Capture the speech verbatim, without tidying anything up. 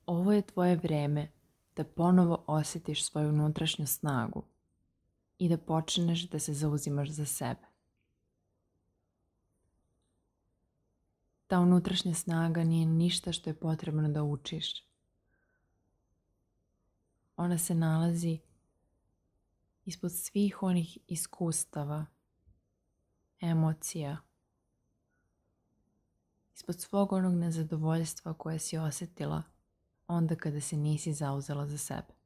Ovo je tvoje vreme da ponovo osjetiš svoju unutrašnju snagu i da počneš da se zauzimaš za sebe. Ta unutrašnja snaga nije ništa što je potrebno da učiš. Ona se nalazi ispod svih onih iskustava, emocija, ispod svog onog nezadovoljstva koje si osjetila onda kada se nisi zauzela za sebe.